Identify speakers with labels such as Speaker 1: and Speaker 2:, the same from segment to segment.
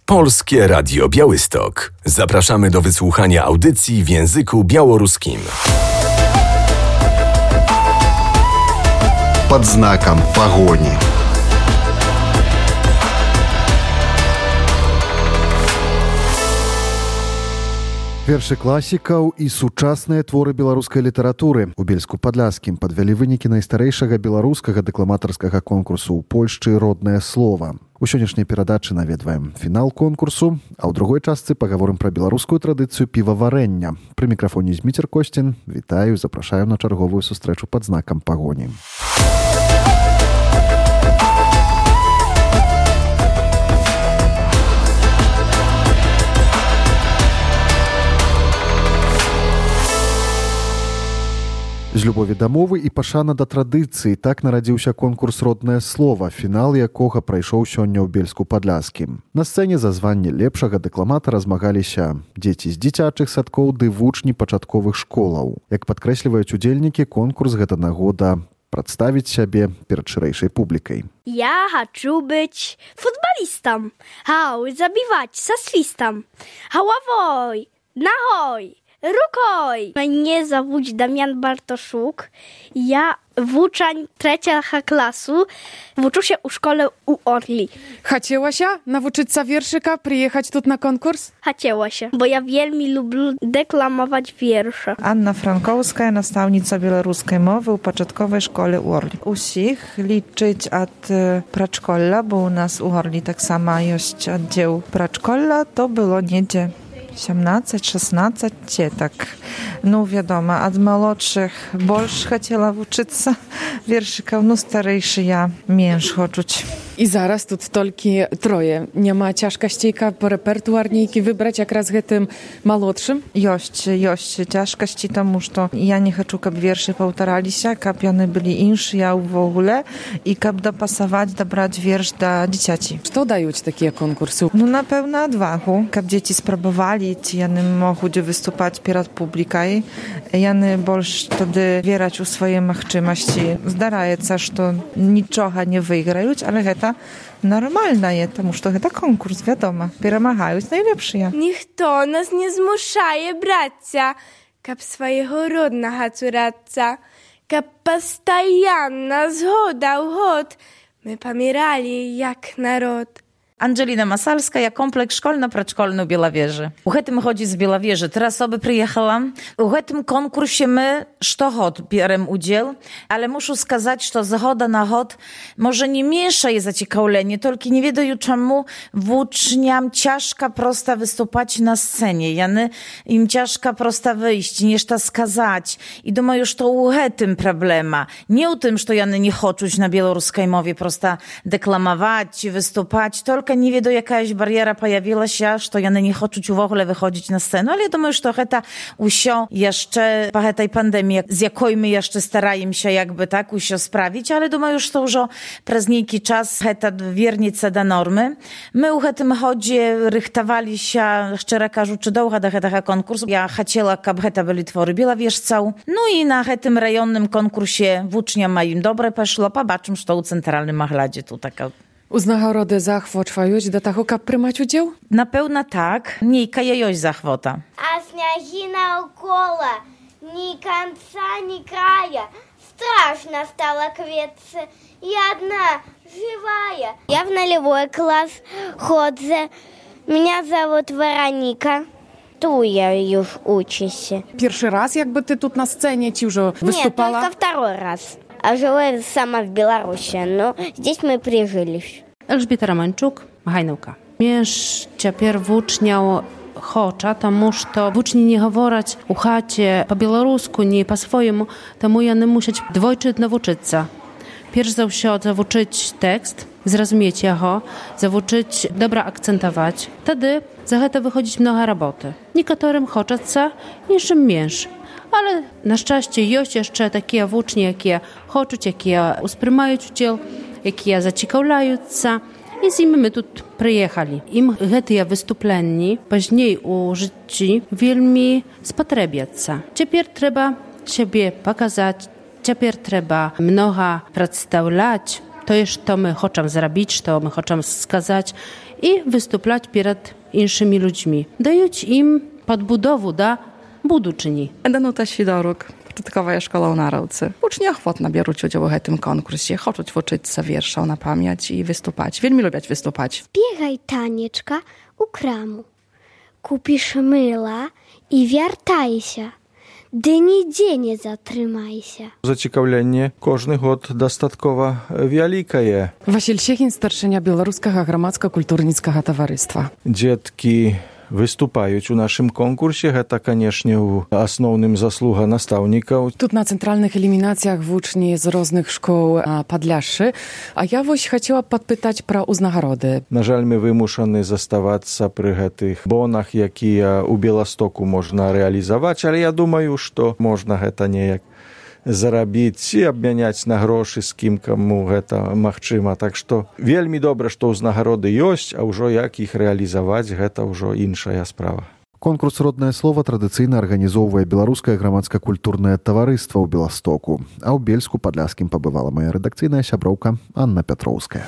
Speaker 1: Polskie Radio Białystok. Zapraszamy do wysłuchania audycji w języku białoruskim.
Speaker 2: Под знаком погони. Вершы класікаў і сучасныя творы беларускай літаратуры. У Бельску-Падляшскім падвялі вынікі найстарэйшага беларускага дэкламатарскага конкурсу ў Польшчы «Роднае слова». У сённяшняй перадачы наведваем фінал конкурсу, а ў другой частцы пагаворым пра беларускую традыцыю піваварэння. Пры мікрафоне Зміцер Косцін. Вітаю, запрашаю на чарговую сустрэчу пад знакам пагоні. З любові да мовы і пашана да традыцыі так нарадзіўся конкурс «Роднае слова», фінал якога прайшоў сёння ў Бельску-Падляшскім. На сцэне за званне лепшага дэкламатара змагаліся дзеці з дзіцячых садкоў ды вучні пачатковых школаў. Як падкрэсліваюць удзельнікі, конкурс гэта нагода прадставіць сябе перад шырэйшай публікай.
Speaker 3: Я хочу быть футболистом. Хау, забивать со свистом. Головой, ногой, рукой. Mnie zовут Damian Bartoszuk. Ja włóczeń 3 klasu. Włóczę się u szkole u Orli.
Speaker 4: Chciała się nauczyć się wierszyka, przyjechać tu na konkurs?
Speaker 3: Chciała się, bo ja wielmi lubię deklamować wiersze.
Speaker 5: Anna Frankowska, nastavnica białoruskiej mowy u początkowej szkole u Orli. Usich liczyć od praczkola, bo u nas u Orli tak samo jest oddział praczkola, to było niedzie 17-16, tak. No wiadomo, od młodszych больше chciała uczyć wierszyków, no starejszy ja męż chodzić.
Speaker 4: I zaraz tu tylko troje. Nie ma ciężkości po repertuarniki wybrać jak raz tym młodszym?
Speaker 5: Jest ciężkości tomu, że ja nie chcę, żeby wiersze powtarzali się, żeby one byli insze, ja w ogóle i żeby dopasować, dobrać wiersz do dzieciaci.
Speaker 4: Co dają ci takie konkursy?
Speaker 5: No na pewno odwagę, żeby dzieci spróbowali, one mogły wystąpić przed publiką, one больше wtedy wierać u swojej możliwości. Zdaje się, że niczego nie wygrają, ale to normalne jest, потому что это конкурс, wiadomo. Перемагають najlepszy.
Speaker 6: Ніхто нас не змушає братися, каб свого родного цуратися, каб постоянно з года в год ми помирали як народ.
Speaker 7: Angelina Masalska, ja kompleks szkolno-praczkolny u Białawieży. U tym chodzi z Białawieży. Teraz osoby przyjechałam. U tym konkursie my sztochot bierem udział, ale muszę skazać, że z choda na chod może nie mniejsze jest zaciekawienie, tylko nie wiedają czemu włóczniam ciężka prosta wystупać na scenie. Jany im ciężka prosta wyjść, niż ta skazać. I думаю, że to u tym problema. Nie u tym, że jany nie choczuć na białoruskiej mowie prosta deklamować, wystупać, tylko nie wie, do jakaś bariera pojawiła się, że one nie chcą w ogóle wychodzić na scenę, ale ja думаю, że to usio jeszcze po tej pandemii, z jaką my jeszcze starajmy się jakby tak usio sprawić, ale думаю, że to już przez niejaki czas heta wiernice do normy. My u tym chodzie rychtowali się, szczerze każuczy, do tego konkursu. Ja chciała, aby heta byli twory białawieżcał. No i na tym rejonnym konkursie włócznia ma im dobre poszło, pobaczmy, że to u centralnym machladzie tu taka.
Speaker 4: Z nagrody zachwoczwajuć do tego, kap prymać udział?
Speaker 7: Na pewno tak. Niejka jejoś zachwota.
Speaker 8: A śniegina około, ni końca, ni kraja. Straszna stała kwietce, jedna, żywая. Я в нулевой класс chodzę. Меня зовут Вероника. Tu ja już uczę się.
Speaker 4: Pierwszy raz jakby ty tu na scenie ci już wystупала?
Speaker 8: Нет, только второй раз. А живу сама в Беларуси, но здесь мы прижились.
Speaker 9: Elżbieta Romańczuk, Hajnówka. Mierz ciapier włóczniał chocza, тому що włóczni nie говорять у хаcie po białorusku, nie po swojemu, тому ja nie muszę dwojczyć nauczyć. Pierwszy za wszystko zawuczyć tekst, zrozumieć jego, zawuczyć dobra akcentować. Wtedy za to wychodzić mnoga roboty. Niektórym choczaca, niższym mierz. Ale na szczęście jest jeszcze takie włócznie, jakie chcą, jakie usprymają udział, jakie zaciekawiają się. I z nimi my tu przyjechali. Im te wystąpienia później u życiu wielmi spotrebiać się. Teraz trzeba siebie pokazać, teraz trzeba mnoga przedstawiać. To jest to my chcemy zrobić, to my chcemy skazać. i występować przed innymi ludźmi. Dając im podbudowę do будучыні.
Speaker 10: Данута Сідорук, пачатковая школа ў Нараўцы. Вучні ахвотна бяруць удзел у гэтым конкурсе, хочуць вучыцца вершаў на памяць і выступаць. Вельмі любяць выступаць.
Speaker 8: Збегай, Танечка, у краму. Купіш мыла і вяртайся. Ды нідзе не затрымайся.
Speaker 11: Зацікаўленне кожны год дастаткова вялікае.
Speaker 4: Васіль Сехін, старшыня беларускага грамадска-культурніцкага таварыства.
Speaker 11: Дзеткі выступаюць у нашым конкурсе. Гэта, канешне, у асноўным заслуга настаўнікаў.
Speaker 4: Тут на цэнтральных элімінацыях вучні з розных школ Падляшшы. А я вось хацела падпытаць пра ўзнагароды.
Speaker 11: На жаль, мы вымушаны заставацца пры гэтых бонах, якія ў Беластоку можна рэалізаваць, але я думаю, што можна гэта неяк зарабіць і абмяняць на грошы з кім, каму гэта магчыма. Так што вельмі добра, што ўзнагароды ёсць, а ўжо як іх рэалізаваць, гэта ўжо іншая справа.
Speaker 2: Конкурс «Роднае слова» традыцыйна арганізоўвае беларускае грамадска-культурнае таварыства ў Беластоку, а ў Бельску-Падляшскім пабывала моя рэдакцыйная сяброўка Анна Пятроўская.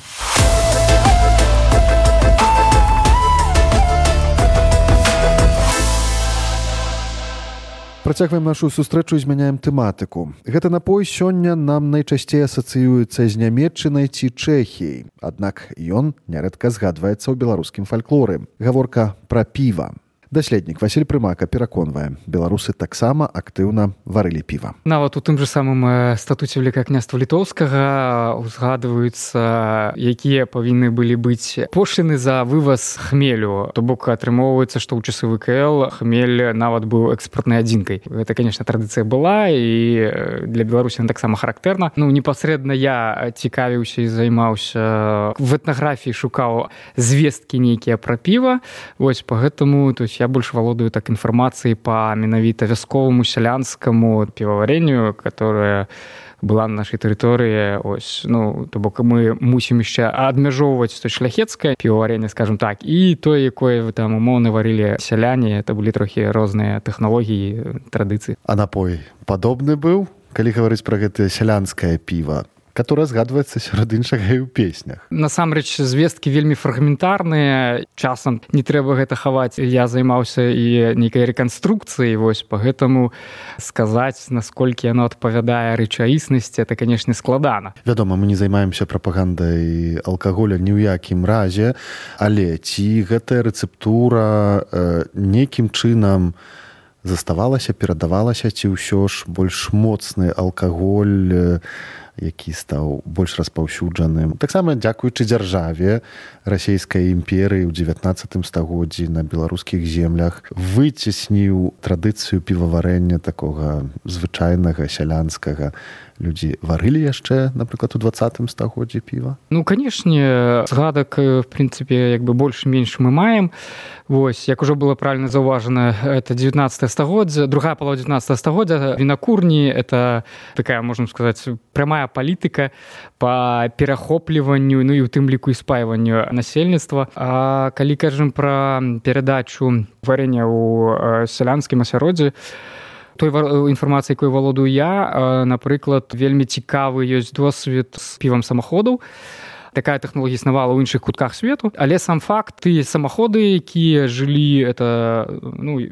Speaker 2: Працягваем нашу сустрэчу і змяняем тэматыку. Гэты напой сёння нам найчасцей асацыюецца з Нямецчынай ці Чэхіяй. Аднак ён нярэдка згадваецца ў беларускім фальклоры. Гаворка пра піва. Даследнік Васіль Прымака пераконвае, беларусы таксама актыўна варылі піва.
Speaker 12: Нават у тым жа самым статуце Вялікага княства Літоўскага узгадваюцца, якія павінны былі быць пошліны за вываз хмелю. То бок атрымоўваецца, што ў часы ВКЛ хмель нават быў экспартнай адзінкай. Гэта, канешне, традыцыя была, і для Беларусі она таксама характэрна. Непасрэдна я цікавіўся і займаўся в этнаграфіі, шукаў звесткі нейкія пра піва. Вось па гэтаму, то есть я больше валодаю так информацией по менавіта вясковому сялянскому пивоварению, которое была на нашай тэрыторыі. Ось, то бок мы мусім яшчэ адмяжоўваць то шляхецкае піваваренне, скажем так, і тое, якое там умоўна варылі сяляне. Это былі трохі розныя тэхналогіі, традыцыі.
Speaker 2: А напой падобны быў, калі гаварыць пра гэтае сялянскае піва, которая згадваецца сярод іншага і ў песнях.
Speaker 12: Насамрэч, звесткі вельмі фрагментарныя, часам не трэба гэта хаваць. Я займаўся і нейкай рэканструкцыяй, вось, па гэтаму сказаць, насколькі яно адпавядае рэчаіснасці, это, канешне, складана.
Speaker 2: Вядома, мы не займаемся прапагандай алкаголя ні ў якім разе, але ці гэтая рэцэптура нейкім чынам заставалася, перадавалася, ці ўсё ж больш моцны алкаголь, які стаў больш распаўсюджаным. Таксама дзякуючы дзяржаве расійскай імперыі ў 19 стагоддзі на беларускіх землях выцесніў традыцыю піваварэння такога звычайнага, сялянскага. Людзі варылі яшчэ, напрыклад, у 20 стагоддзі піва?
Speaker 12: Канешне, згадак, в прынцыпе, больш-менш мы маем. Вось, як ужо было правильно заўважана, это 19 стагоддзя, другая палова 19 стагоддзя. Вінакурні — это такая, можна сказаць, прямая палітыка па перахопліванню, і ў тым ліку і спайванню насельніцтва. А калі кажам пра перадачу варення ў сялянскім асяроддзі, той інфармацыі, якой валодаю я, напрыклад, вельмі цікавы ёсць досвед з півам самаходаў. Такая тэхналогія існавала ў іншых кутках свету, але сам факт, тыя самаходы, якія жылі, это,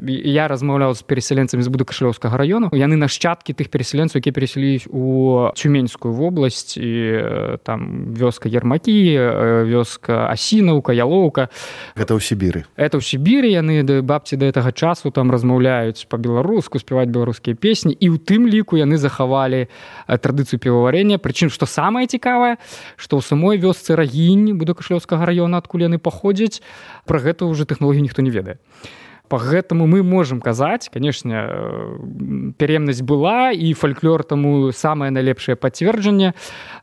Speaker 12: я размаўляў з перасяленцамі з Будакашлёўскага раёну, яны нашчадкі тых перасяленцаў, якія перасялілись у Цюменскую вобласць, і там вёска Ермакі, вёска Асінаўка, Ялоўка.
Speaker 2: Гэта ў Сібіры.
Speaker 12: Это ў Сібіры, яны бабці да гэтага часу там размаўляюць па-беларуску, спяваць беларускія песні, і ў тым ліку яны захавалі традыцыю піваварення. Прычым, што самае цікавае, што ў самой вёсцы Рагінь Будакашлёўскага раёна, адкуль яны паходзяць, пра гэта ўжо тэхналогію ніхто не ведае. Па гэтаму мы можам казаць, канешне, пераемнасць была, і фальклор таму самае найлепшае пацверджанне.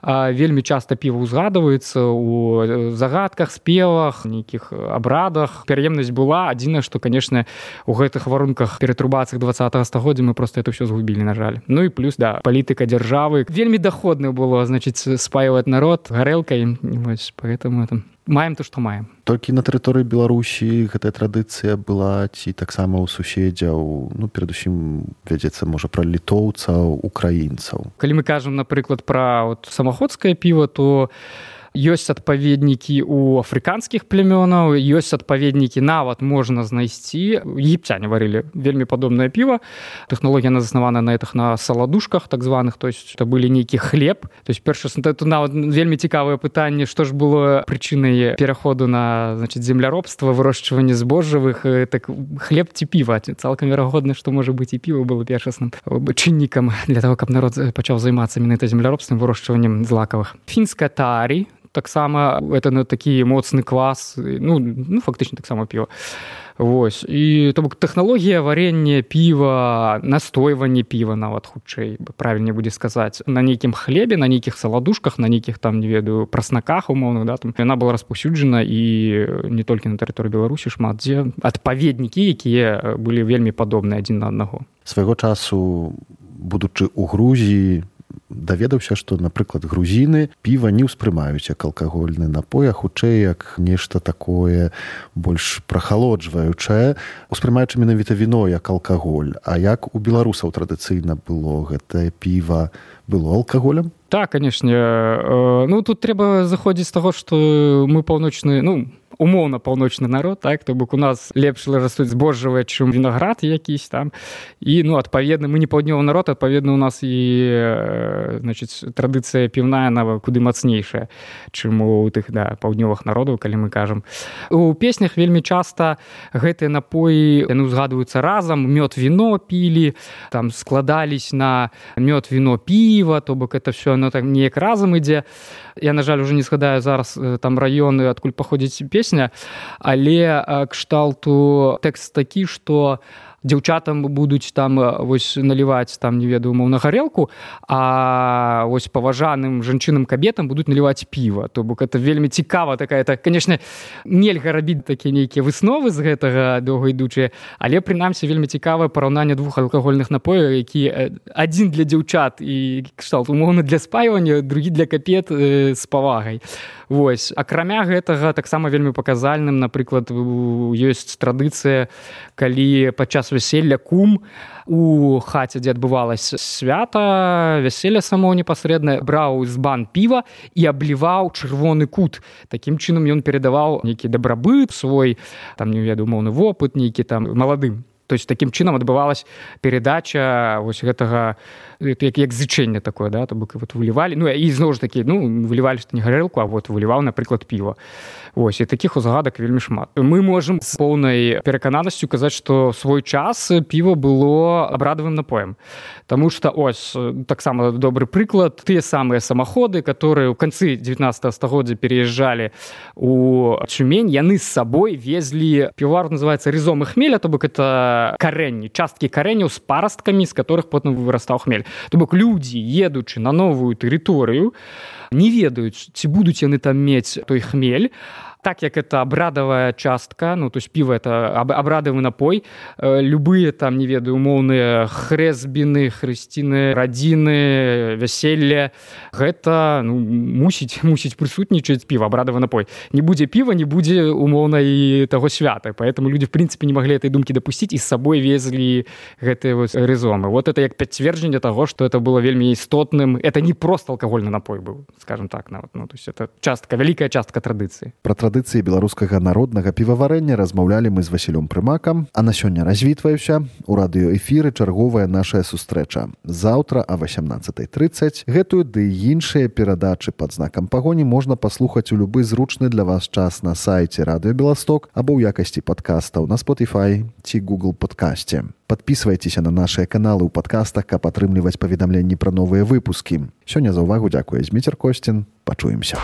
Speaker 12: Вельмі часта піва ўзгадваецца ў загадках, спевах, нейкіх абрадах. Пераемнасць была, адзінае, што, канешне, у гэтых варунках ператрубацыях 20 стагоддзя мы проста это ўсё згубілі, на жаль. І плюс, палітыка дзяржавы. Вельмі доходна было, значыць, спаіваць народ гарэлкай. Поэтому маем то, што маем.
Speaker 2: Толькі на тэрыторыі Беларусі гэтая традыцыя была, ці таксама ў суседзяў, перадусім вядзецца, можа, пра літоўцаў, украінцаў.
Speaker 12: Калі мы кажам, напрыклад, пра самаходскае піва, то Ёсць адпаведнікі ў афрыканскіх племёнаў, ёсць адпаведнікі нават можна знайсці. Егіпцяне варылі вельмі падобнае піва. Тэхналогія заснавана на этих на саладушках так званых, то есть это былі нейкі хлеб. То есть першае, это нават вельмі цікавае пытанне, што ж было прычынай пераходу на, значит, земляробства, вырошчванне збожжавых, так хлеб ці піва. Цалкам верагодна, што можа быць і піва было першасным чыннікам для того, каб народ пачаў займацца менавіта земляробствам, вырошчваннем злакавых. Фінская тарі таксама это такі моцны квас, ну фактычна таксама піва. Вось. І то бок тэхналогія варення піва, настойванне піва нават хутчэй, правільней будзе сказаць, на нейкім хлебе, на нейкіх саладушках, на нейкіх там, не ведаю, праснаках умоўных, да, там яна была распаўсюджана і не толькі на тэрыторыі Беларусі, шмат дзе адпаведнікі, якія былі вельмі падобныя адзін на аднаго.
Speaker 2: Свайго часу, будучы ў Грузіі, даведаўся, што, напрыклад, грузіны піва не ўспрымаюць як алкагольны напой, а хутчэй як нешта такое больш прахалоджваючае, успрымаючы менавіта віно як алкаголь. А як у беларусаў традыцыйна было гэтае піва? Было алкаголем?
Speaker 12: Так, канешне. Ну, тут трэба заходзіць з таго, што мы паўночны, умоўна паўночны народ, так, то бок у нас лепш растуць збожжавыя, чым вінаград якісь там. І, адпаведна, мы не паўднёвы народ, адпаведна, у нас і, значыць, традыцыя піўная, она куды мацнейшая, чым у тых, паўднёвых народаў, калі мы кажам. У песнях вельмі часта гэтыя напоі, яны узгадваюцца разам, мёд, віно пілі, там складались на мёд, віно, піва, то бок это все, оно так неяк разам ідзе. Я, на жаль, уже не згадаю зараз там раёны, адкуль паходзіць песня, але кшталту тэкст такі, што дзяўчатам будуць там вось наліваць там, не ведаю, умоўна гарэлку, а вось паважаным жанчынам кабетам будуць наліваць піва. То бок это вельмі цікава такая, так, конечно, нельга рабіць такія нейкія высновы з гэтага доўгаідучыя, але прынамсі вельмі цікавае параўнанне двух алкагольных напояў, які адзін для дзяўчат і кшталт умоўна для спайвання, другі для кабет з павагай. Вось. Акрамя гэтага таксама вельмі паказальным, напрыклад, ёсць традыцыя, калі падчас вяселля кум у хаце, дзе адбывалася свята, вяселля само непасрэдна, браў збан піва і абліваў чырвоны кут. Такім чынам ён перадаваў нейкі дабрабыт свой, там, не ведаю, умоўны вопыт нейкі там маладым. То есть такім чынам адбывалась перадача вось гэтага, як зычэнне такое, да, то бок вот вылівалі, і зноў ж такі, вылівалі што не гарэлку, а вот выліваў, напрыклад, піва. Вось, і такіх узгадак вельмі шмат. Мы можам з поўнай перакананасцю казаць, што свой час піва было абрадавым напоем. Таму што, ось, таксама добры прыклад, тыя самыя самаходы, которые ў канцы 19 стагоддзя переязджалі у Тюмень, яны з сабой везлі, півовар называецца рызом і хмеля, то бок это карэнні, часткі карэняў з парасткамі, з которых потым вырастаў хмель. То бок людзі, едучы на новую тэрыторыю, не ведаюць, ці будуць яны там мець той хмель. Так як это абрадавая частка, то есть піва это абрадавы напой, любыя там, не ведаю, умоўныя хрэсбіны, хрысціны, радзіны, вяселле, гэта мусіць прысутнічаць піва, абрадавы напой. Не будзе піва, не будзе умоўна і таго свята. Поэтому люди, в принципе, не могли этой думки допустить и с собой везли гэтыя вот рызомы. Вот это як пацверджанне таго, што это было вельмі істотным. Это не просто алкагольны напой быў, скажем так. То есть это частка, вялікая частка традыцыі.
Speaker 2: Пра традыцыі беларускага народнага піваварэння размаўлялі мы з Васілём Прымакам, а на сёння развітваюся. У радыёэфіры чарговая нашая сустрэча. Заўтра а 18:30 гэтую ды іншыя перадачы пад знакам пагоні можна паслухаць у любы зручны для вас час на сайце Радыё Беласток або ў якасці падкастаў на Spotify ці Google падкасце. Подписывайтеся на наши каналы ў падкастах, каб атрымліваць паведамленні пра новыя выпускі. Сёння за ўвагу дзякуе Зміцер Косцін. Пачуемся.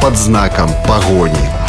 Speaker 13: Под знаком погони.